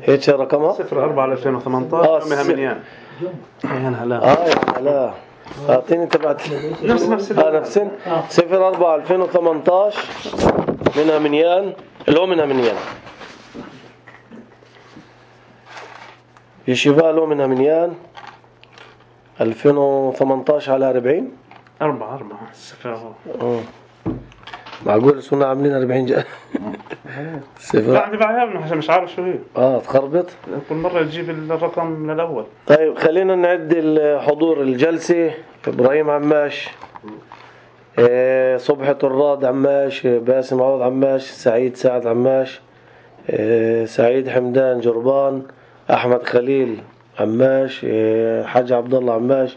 هيك رقمها 04/2018 منها منيان. هلا اعطيني تبعت نفس نفس 04/2018 منها منيان لو منها منيان يشيفا لو منها منيان 2018 على 40 4 0. معقول صرنا عاملين 40 لا عندي بعيابنا عشان مش عارف شو هي. تخربط كل مرة تجيب الرقم للأول. طيب خلينا نعد الحضور الجلسة. إبراهيم عماش، صبحي طراد عماش، باسم عوض عماش، سعيد سعد عماش، سعيد حمدان جربان، أحمد خليل عماش، حاج عبد الله عماش،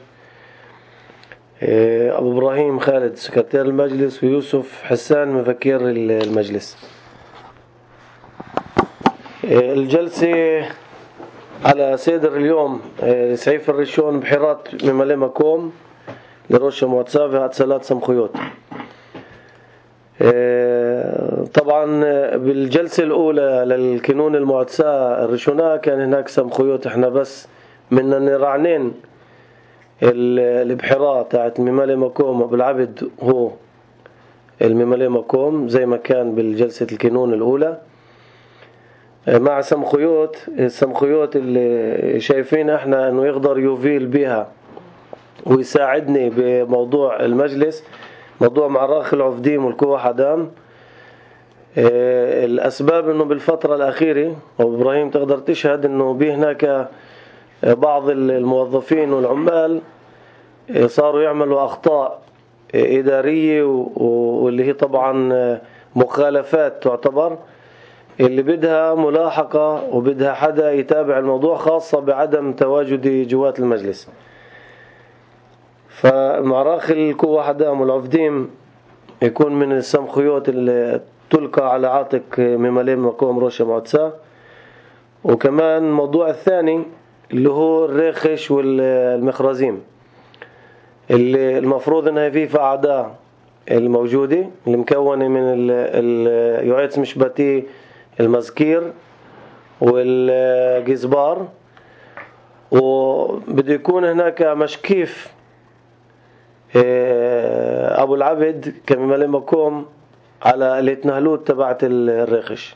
أبو إبراهيم خالد سكرتير المجلس، ويوسف حسان مفكر المجلس. الجلسة على صدر اليوم سعيف الرشون بحيرات مملئ مكوم لرشة مواتسا في هاتسالات سمخيوت. طبعا بالجلسة الأولى للكنون المواتسا الرشونا كان هناك سمخيوت، احنا بس من نرعنين البحيرات تاعت مملئ مكوم بالعبد هو المملئ مكوم زي ما كان بالجلسة الكنون الأولى مع السمخيوت اللي شايفين احنا انه يقدر يوفيل بها ويساعدني بموضوع المجلس، موضوع معراخ العفديم والكوة حدام. الاسباب انه بالفترة الاخيرة وابراهيم تقدر تشهد انه هناك بعض الموظفين والعمال صاروا يعملوا اخطاء ادارية واللي هي طبعا مخالفات تعتبر، اللي بدها ملاحقة وبدها حدا يتابع الموضوع، خاصة بعدم تواجدي جوات المجلس. فمعراخ الكوة حدام والعفديم يكون من السمخيوت اللي تلقى على عاتق مملئ مكوم روشة مواتسا. وكمان الموضوع الثاني اللي هو الريخش والمخرزيم اللي المفروض انها فيه أعداء الموجودة اللي مكونة من اليوعيتس مشبتي المزكير والجزبار، وبده يكون هناك مشكيف أبو العبد كمملئ مكوم على الاتنهلوت تبعت الريخش.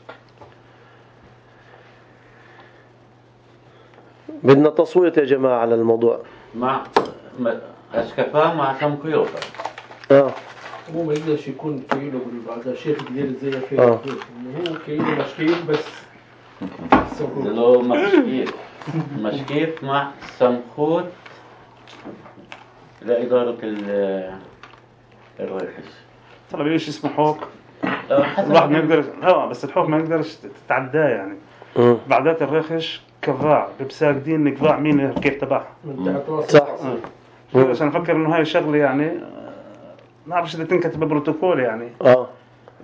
بدنا تصويت يا جماعة على الموضوع مع أشكفاه مع سمخيوت. هو ما يقدرش يكون كيلو بالبعض شيء كبير زي في هو كيلو مشكيف بس لو مشكيف مع سمخوت لإدارة الريخش. طلب ايش اسمه حوك الواحد ما يقدر بس الحوك ما يقدرش تتعداه يعني. بعدات الريخش كفاع بساقدين نقضاع مين كيف تبعها صح. عشان افكر انه هاي شغله يعني ما اعرفش اذا تنكتب ببروتوكول يعني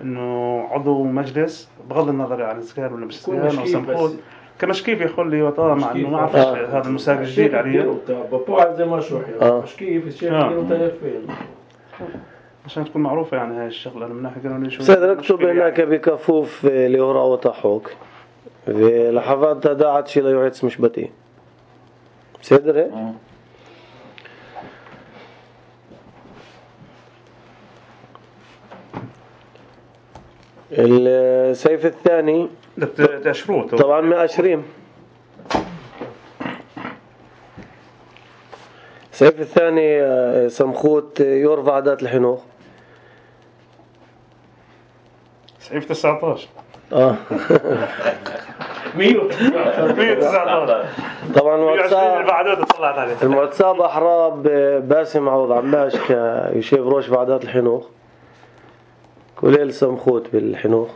انه عضو مجلس بغض النظر عن سكان ولا مش سكان او سمخوت كمشكيف يخلي وطا مع انه ما اعرفش هذا المساق الجديد عليه بابا زي ما شو مشكيف الشيخ فين عشان تكون معروفه يعني هاي الشغله. انا من ناحيه قانونيه شو سيدنا اكتب هناك بكفوف ليورا وطحوك في لحظات داعت شي ليوعيتس مشبتي سيدري. السيف الثاني تشروط طبعا مأشرين. السيف الثاني سمخوت يرفع عادات الحنوخ سيف 19 119 طبعا المواتساب أحراب باسم عوض عماش كيشيف روش بعدات الحنوخ كليل سمخوت بالحنوخ.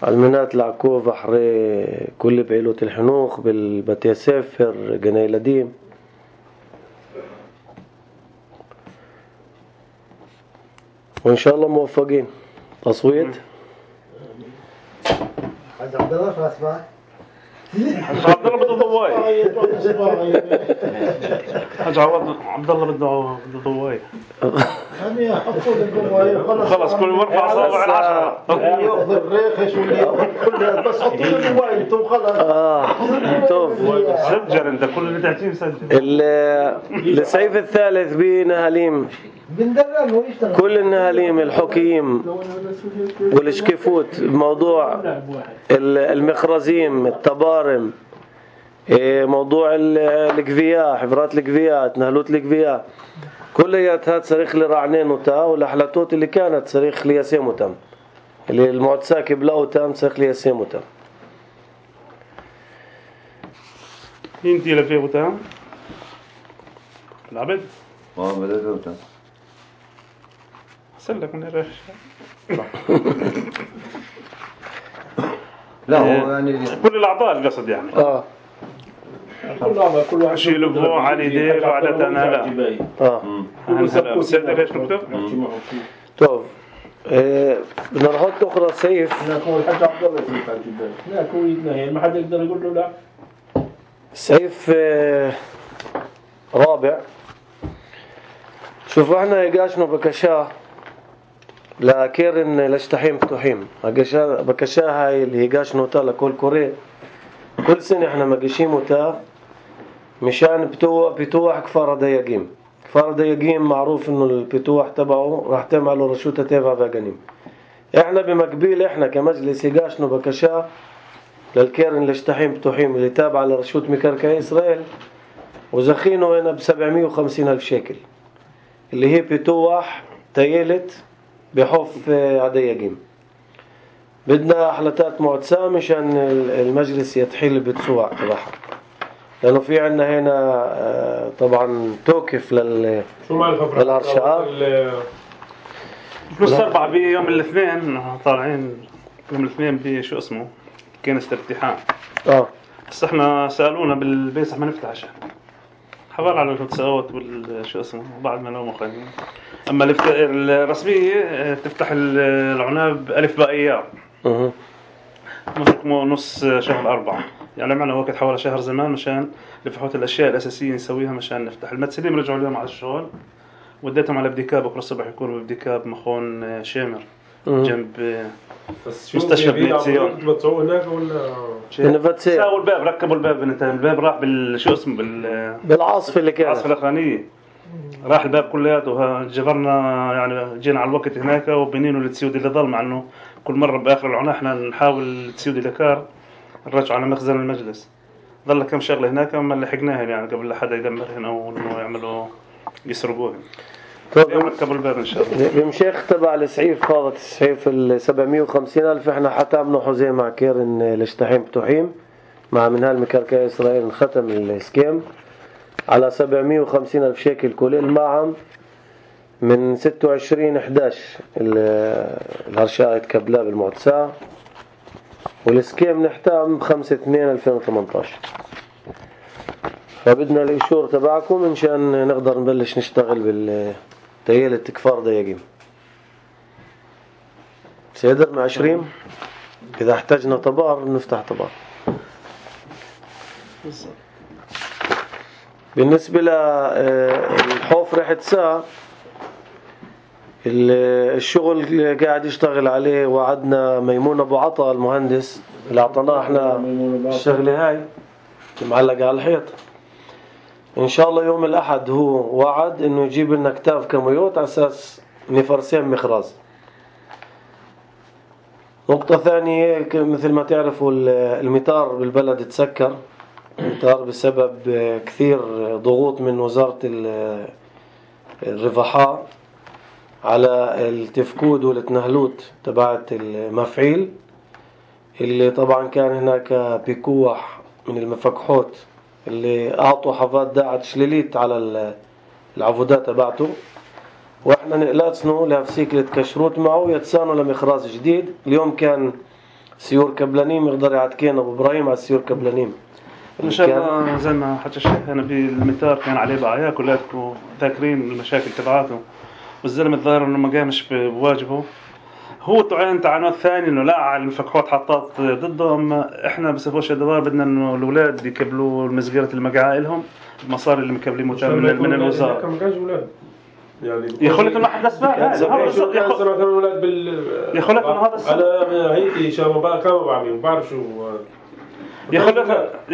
علمنات العكوف أحري كل بعيلوت الحنوخ بالبتي سفر جناي لديم. وإن شاء الله موفقين. تصويت حاج عبد الله شو اسمك؟ حاج عبد الله بده ضواي. حاج عبد الله بده ضواي. يعني حطوا الضواي خلص كل مرة أصابع العشرة. ياخذ الريخش واللي ياخذ كل بس حطوا الضواي انتم خلص. سجل انت كل اللي تحكيه سجل. السيف الثالث بنهاليم كل النهاليم الحكيم والشكفوت بموضوع المخرزيم التبارم موضوع القفياء حفرات القفياء نهلوت القفياء كلياتها تصريخ لرعنين وتا والأحلاتوت اللي كانت تصريخ ليسيموتم اللي المعتساك بلاوتام تصريخ ليسيموتم. انتي لفيه وتام العبد بدأت وتام سلك من الريش. لا هو يعني كل الأعضاء القصد يعني. كل واحد شيل بوع على يديه وعلى تنالا. هنسأل سيدنا ليش نكتب؟ طب بدنا نحط أخرى سيف. هناك هو الحاج عبد الله سيف على الجبال. هناك هو يتنهي ما حد يقدر يقول له لا. سيف رابع. شوفوا احنا يقاشنوا بكشاه لكيرن لشتحيم فتوحيم بكشاه هاي اللي يقاشنوا تا لكل كوري كل سنة احنا مقشيموا تا مشان بتوح كفار دياقيم. كفار دياقيم معروف انه البتوح تبعه راح تعملوا رشوتة تيفا فاقانيم. احنا بمقبيل احنا كمجلس يقاشنوا بكشاه للكيرن لشتحيم فتوحيم اللي تابع لرشوت مكركة إسرائيل وزخينه هنا ب750,000 شيكل اللي هي بتوح تيلت بحف عديقيم. بدنا أحلتات معتسة مشان المجلس يتحيل بتسوع تبعها لأنه في عنا هنا طبعا توقف للهرشاء بلس 4 بيوم الاثنين طالعين يوم الاثنين بشو اسمه كنيسة الافتتاح. بس احنا سألونا بالبيسح ما نفتح عشان حوال على الفتساوات والشو اسمه بعد ما نوم خلينا. اما الرسمية تفتح العناب ألف باء ايام نص شهر 4 يعني معنا وقت حوالي شهر زمان مشان لفحوت الاشياء الاساسية نسويها مشان نفتح. المتسلين رجعوا اليوم على الشغل وديتهم على بديكاب بكره الصبح يكونوا بديكاب مخون شامر جنب مستشفى بني ציון. بتسووا هناك ولا ساووا الباب ركبوا الباب الباب راح بالشو اسمه بالعاصفة اللي كانت العاصفة الأخرانية راح الباب كلياته جبرنا يعني جينا على الوقت هناك وبنينه للتسيود اللي ضل مع انه كل مرة بآخر العناء احنا نحاول التسيود اللي كار نرجع على مخزن المجلس. ظل كم شغلة هناك ما لحقناها يعني قبل لا حدا يدمرهن او انه يعملوا يسرقوهن. ركبوا الباب ان شاء الله. بمشيخ تبع السعيف فاضت السعيف 750,000 احنا حتمنا حزين مع كيرن لشتحيم فتوحيم مع منهال مكركة إسرائيل ختم السكيم على 750,000 شيكل كل معهم من 26/11 الهرشاء يتكبلا بالمعتساة والسكيم نحتام 5/2/2018. فبدنا الإشور تبعكم منشان نقدر نبلش نشتغل بالتيالة كفار دياقيم. سيدر مع 20 إذا احتاجنا طبار نفتح طبار. بالنسبة للحوف ريحة ساعة الشغل اللي قاعد يشتغل عليه وعدنا ميمون أبو عطا المهندس اللي أعطناه احنا الشغلة هاي معلقة على الحيط إن شاء الله يوم الأحد هو وعد إنه يجيب لنا كتاف كميوت على أساس نفرسين مخراز. نقطة ثانية مثل ما تعرفوا المطار بالبلد تسكر المطار بسبب كثير ضغوط من وزارة الرفحاء على التفكود والتنهلوت تبعت المفعيل اللي طبعا كان هناك بيكوح من المفكحوت اللي أعطوا حفاظ داعت شليليت على العفودات تبعته واحنا نقلاتنه لهفسيك لتكشروت معه يتسانوا لمخراز جديد. اليوم كان سيور كبلانيم يقدر يعتكين أبو إبراهيم على السيور كبلانيم إن شاء الله زي ما حكى الشيخ أنا بالمطار كان عليه بعيا كلاتكم ذاكرين المشاكل تبعاته والزلمة الظاهر إنه ما قامش بواجبه. هو طعن تعنات ثاني انه لا على المفكحات حطات ضده. اما احنا بصفه شدوار بدنا انه الاولاد يكبلوا مسجره المقعة لهم المصاري اللي مكبلين من الوزاره. كم جاز اولاد يعني يا خلت انه حدث بقى هذا بالضبط. يا خلت الاولاد يا خلت انه هذا السبب. على هيك شباب كانوا بعمل بعرف شو يا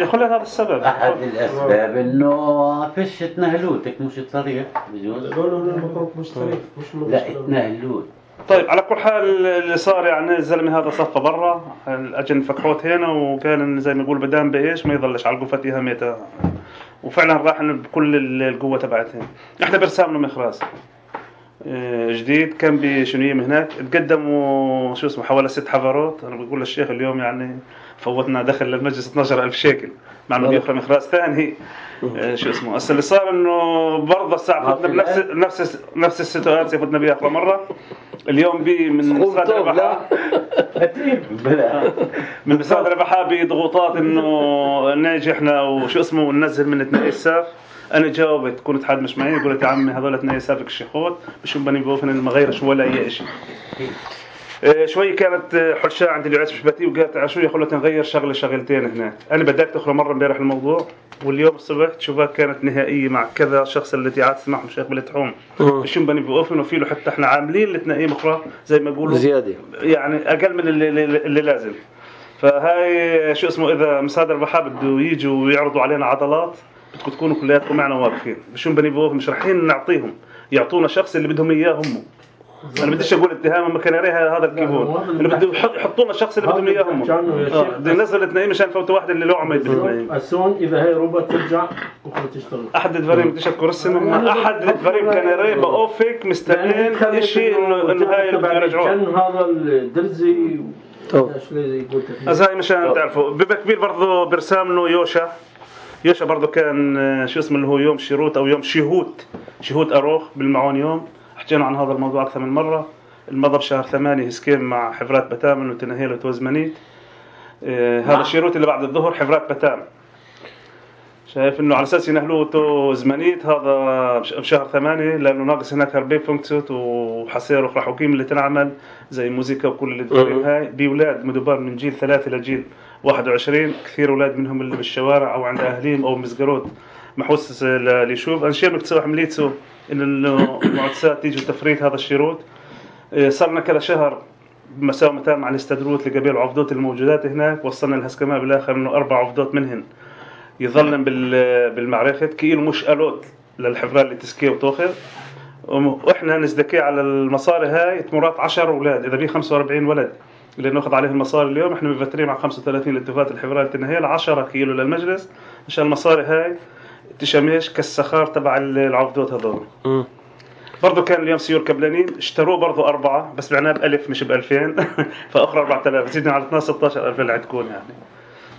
خلت هذا السبب. أحد الأسباب إنه فيش تنهلوتك مش صريح بجوز. لا مش صريح مش لا تنهلوت. طيب على كل حال اللي صار يعني الزلمه هذا صفى برا اجى فكحوت هنا وكان زي ما يقول بدام بايش ما يضلش على القفتها ميته وفعلا راح بكل القوه تبعتهم. احنا برسامنا مخراز جديد كان بشنوية هناك تقدموا شو اسمه حوالي 6 حفرات. انا بقول للشيخ اليوم يعني فوتنا دخل للمجلس 12,000 شيكل مع انه بياخذ مخراز ثاني. شو اسمه هسه اللي صار انه برضه الساعه فتنا بنفس السيتواسيون فتنا بيها اخر مره. اليوم بي من مساعد الربحاء من مساعد الربحاء بضغوطات انه نيجي احنا وشو اسمه وننزل من 2 اساف. انا جاوبت كنت حد مش معي قلت يا عمي هذول 2 اسافك الشيخوت مش بني بوفن ما غيرش ولا اي شيء. شوي كانت حرشة عند اليعاس بشباتي وقالت على شو يخلوا نغير شغلتين هناك. انا بدأت اخرى مرة امبارح الموضوع واليوم الصبح شوفها كانت نهائية مع كذا شخص اللي قعدت معهم شيخ بالتحوم مش بني بوفن وفي له حتى احنا عاملين لتنقيم اخرى زي ما يقولوا زيادة يعني اقل من اللي لازم. فهاي شو اسمه اذا مساعد الربحاء بده يجوا ويعرضوا علينا عضلات بدكم تكونوا كلياتكم معنا واقفين. بشو بني بوفن مش رايحين نعطيهم يعطونا شخص اللي بدهم اياه هم. انا بديش اقول اتهام ما كان يريها هذا الكيبورد اللي بده يحطوا لنا الشخص اللي بدهم اياه هم. بده ينزل 2 مشان فوت واحد اللي له عميد بالنهايه. السون اذا هي روبوت ترجع بكره تشتغل. احد الدفارين بديش اذكر اسمه احد الدفارين كان يري باوفك مستنين شيء انه هاي يرجعوه. هذا الدرزي هاي مشان تعرفوا بكبير برضه برسامنه يوشا برضه كان شو اسمه اللي هو يوم شيروت او يوم شهوت اروخ بالمعون يوم. حكينا عن هذا الموضوع أكثر من مرة. المضى بشهر 8 هسكيم مع حفرات بتام وتنهيل وتوزمنيت. هذا الشيروت اللي بعد الظهر حفرات بتام شايف إنه على أساس ينهلوه توزمنيت هذا بشهر 8 لأنه ناقص هناك هربي فونكسوت وحصير وخراحوكيم اللي تنعمل زي موسيقى وكل اللي تقولين هاي بأولاد مدبر من جيل 3 لجيل 21. كثير أولاد منهم اللي بالشوارع أو عند أهليهم أو مسجرود محوس اللي يشوف أنشير مكتسوح مليتسو إن المعتسات تيجي تفريط هذا الشيروت. صرنا كذا شهر مساومتان مع الاستدروت لقبيل عفدوت الموجودات هناك. وصلنا الهسكماء بالآخر إنه 4 عفدوت منهن يظلن بالمعرفة كيلو مش ألوت للحفرات اللي تسكيه وتوخر. وإحنا نزدكي على المصاري هاي تمرات 10 أولاد إذا بيه 45 ولد اللي نأخذ عليه المصاري اليوم. إحنا مفترين مع 35 لاتفات الحفرات التنهيل 10 كيلو للمجلس عشان المصاري هاي تشميش كالسخار تبع العفدوت هذول. برضو كان اليوم سيور كبلانين اشتروه برضو 4 بس بعناه ب1000 مش ب2000 فأخرى 4000 زيدنا على 12-16,000 اللي عندكم يعني.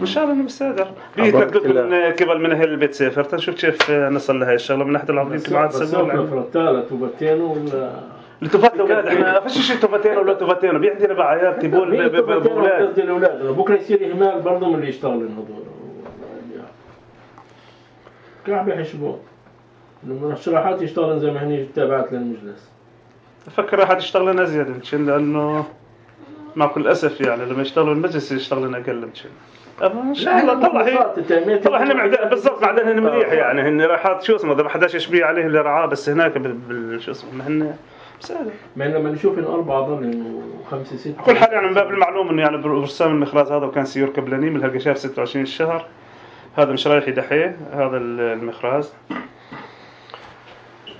إن شاء الله إنه مستقدر بيتردد من قبل من أهل البيت سافر تنشوف كيف نصل لهاي الشغلة من ناحية العفدين كم عاد سبوا فرتالة توبتين ولا لتوفات الأولاد. إحنا فيش شيء توفتين ولا توفتين بيعندنا بعيال تبول بأولاد الأولاد بكرة يصير إهمال برضو من اللي يشتغلوا هذول كعب يحسبون لما الشراحات يشتغلن زي ما هني تابعت للمجلس. أفكر أحد يشتغل لنا زيادة مشان لأنه مع كل أسف يعني لما يشتغلوا المجلس يشتغل لنا أقل مشان. إن شاء الله طلع هن معدن بالضبط معدن هن مليح يعني هن راحات شو اسمه إذا ما حداش يشبيه عليه اللي رعاه بس هناك شو اسمه ما هن سهل. ما لما نشوف إن 4 ضل و5 6. كل حال يعني من باب المعلوم إنه يعني برسام المخراز هذا وكان سيور كبلاني من هالقشاف 26 الشهر. هذا مش رايح يدحيه هذا المخراز.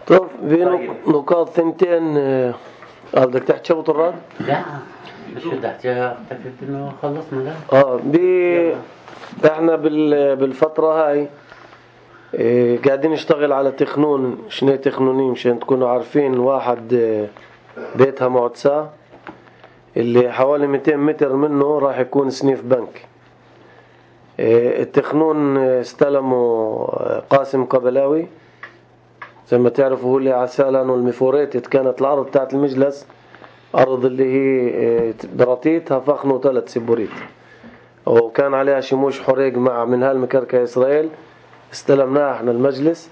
طب في نقاط ثنتين بدك تحكي شو الراد؟ لا مش تحكيها اعتقد انه خلصنا لا احنا بالفترة هاي قاعدين نشتغل على تخنون شنو تخنونين مشان تكونوا عارفين. واحد بيتها معتسة اللي حوالي 200 متر منه راح يكون سنيف بنك. التخنون استلموا قاسم قبلاوي زي ما تعرفوا هو اللي عسالان والمفوريتت كانت الأرض تاعت المجلس أرض اللي هي براتيتها فخنوا 3 سبوريت وكان عليها شموش حريق مع من هالمكركة إسرائيل استلمناها احنا المجلس.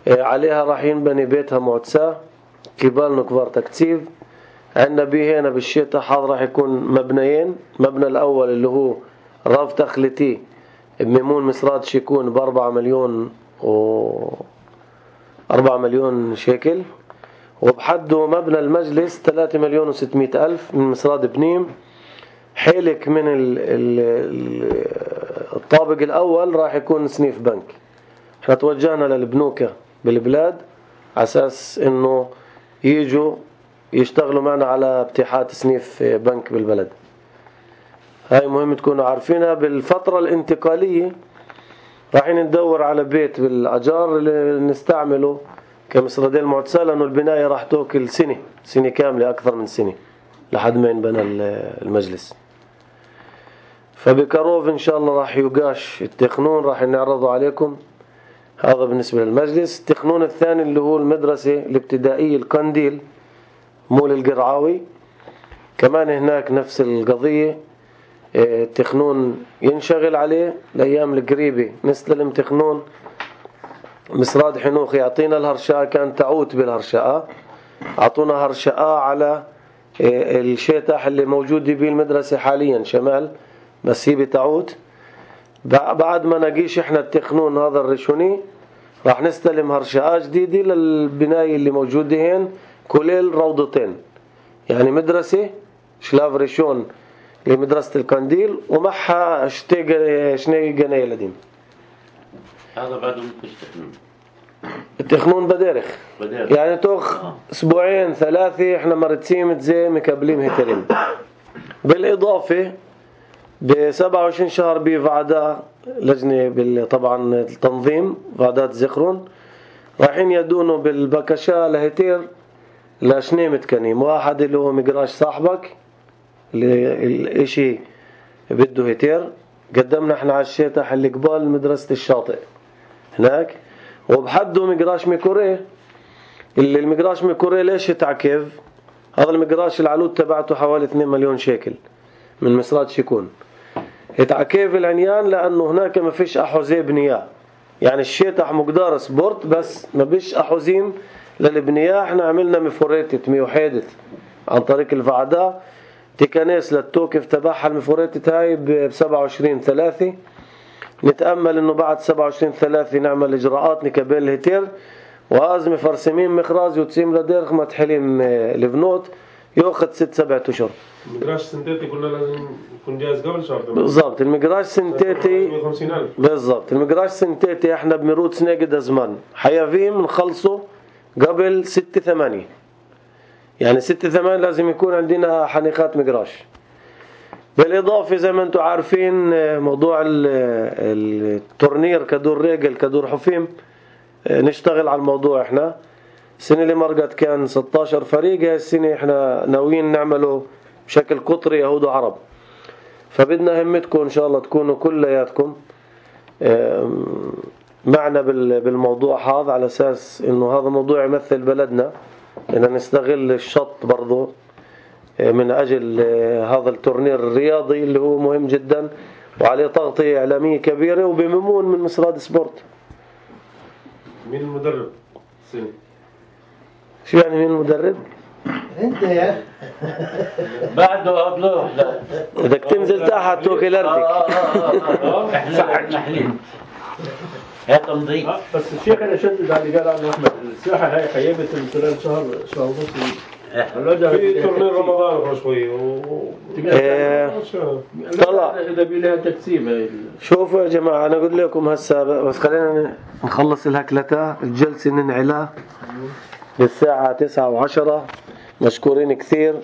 عليها راح ينبني بيتها معتسة كبالنا كبار تكتيف عندنا به هنا بالشتاء حاضر راح يكون مبنيين. مبنى الأول اللي هو راف تخليتي بميمون مسرات شيكون ب4 مليون شيكل، وبحده مبنى المجلس 3,600,000 من مسراد بنيم. حيلك من الطابق الأول راح يكون سنيف بنك. احنا توجهنا للبنوكة بالبلاد على أساس إنه يجوا يشتغلوا معنا على ابتحاث سنيف بنك بالبلد. هاي مهم تكونوا عارفينها. بالفترة الانتقالية راح ندور على بيت بالأجار اللي نستعمله كمسردين معتسة، لأنه البناية راح توكل سنة كاملة، أكثر من سنة لحد ما ينبنى المجلس. فبكروف إن شاء الله راح يقاش التخنون، راح نعرضه عليكم. هذا بالنسبة للمجلس. التخنون الثاني اللي هو المدرسة الابتدائية القنديل مول القرعاوي، كمان هناك نفس القضية. التخنون ينشغل عليه الأيام القريبة، نستلم تخنون مسراد حنوخ يعطينا الهرشاء، كان تعوت بالهرشاء، أعطونا هرشاء على الشيطح اللي موجود به المدرسة حاليا شمال، بس هي بتعوت. بعد ما نقيش احنا التخنون هذا الرشوني راح نستلم هرشاء جديدة للبناية اللي موجودة هين، كليل روضتين، يعني مدرسة شلاف ريشون لمدرسة القنديل ومعها شني جناية لديم. هذا بعده مش تخنون. التخنون بدارخ. يعني توخ أسبوعين 3 احنا مرتين زي مكبلين هترين. بالإضافة ب27 شهر بفعداء لجنة طبعا التنظيم فعدات زخرون رايحين يدونوا بالبكشة لهتير لشني متكنيم. واحد اللي هو مقراش صاحبك الاشي بده هتير، قدمنا احنا على الشيطح اللي قبال مدرسة الشاطئ هناك، وبحده مقراش ميكوريه. اللي المقراش ميكوريه ليش تعكف؟ هذا المقراش العلود تبعته حوالي 2 مليون شيكل من مسرات شيكون. يتعكف العنيان لأنه هناك ما فيش أحوزي بنياء، يعني الشيطح مقدار سبورت بس ما فيش أحوزين للبنياء. احنا عملنا مفوريتة ميوحيدة عن طريق الفعداء تكنيس للتوقف تبعها المفوريتة هاي ب27/3. نتأمل انه بعد 27/3 نعمل اجراءات نكبل الهتير، وازم فرسمين مخراز وتسيم لديرخ ما تحلم البنوت يأخذ 6-7 أشهر. المقراش سنتيتي قلنا لازم يكون جاهز قبل شهر. بالضبط. المقراش سنتيتي 150,000. بالضبط. المقراش سنتيتي احنا بمرود سنة زمان حيافيم نخلصه قبل 6/8، يعني 6/8 لازم يكون عندنا حنيقات مقراش. بالإضافة زي ما انتم عارفين موضوع التورنير كدور رجل كدور حفيم، نشتغل على الموضوع. احنا السنة اللي مرقت كان 16 فريق، هاي السنة احنا ناويين نعمله بشكل قطري يهود وعرب. فبدنا همتكم ان شاء الله تكونوا كلياتكم معنا بالموضوع هذا، على اساس انه هذا موضوع يمثل بلدنا، ان نستغل الشط برضو من اجل هذا التورنير الرياضي اللي هو مهم جدا وعليه تغطية اعلامية كبيرة وبممون من مسراد سبورت. مين المدرب السنة؟ شو يعني مين المدرب؟ انت يا بعده قبله لا بدك تنزل تحت توكيلارتك. احنا محلين هي تنظيف. بس الشيخ انا شدد على اللي قال عنه احمد، الساحه هاي خيبت من خلال شهر ونص. في تورنير رمضان شوي طلع اذا بيلها تكسيب. شوفوا يا جماعة، أنا أقول لكم هسا بس خلينا نخلص الهكلتة الجلسة ننعلها للساعة 9:10. مشكورين كثير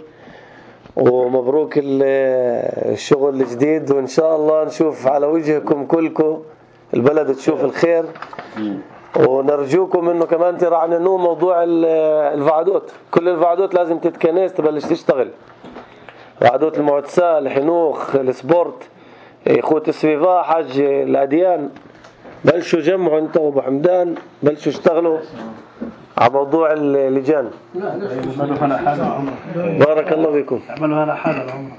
ومبروك الشغل الجديد، وإن شاء الله نشوف على وجهكم كلكم البلد تشوف الخير. ونرجوكم إنه كمان ترعننوا موضوع الفعدوت. كل الفعدوت لازم تتكنس تبلش تشتغل، فعدوت المعتسة الحنوخ السبورت إخوة السفيفا حج الأديان. بلشوا جمعوا انت وابو حمدان، بلشوا اشتغلوا على موضوع اللجان. اعملوا هنا حالة العمر. بارك الله فيكم. اعملوا هنا حالة العمر.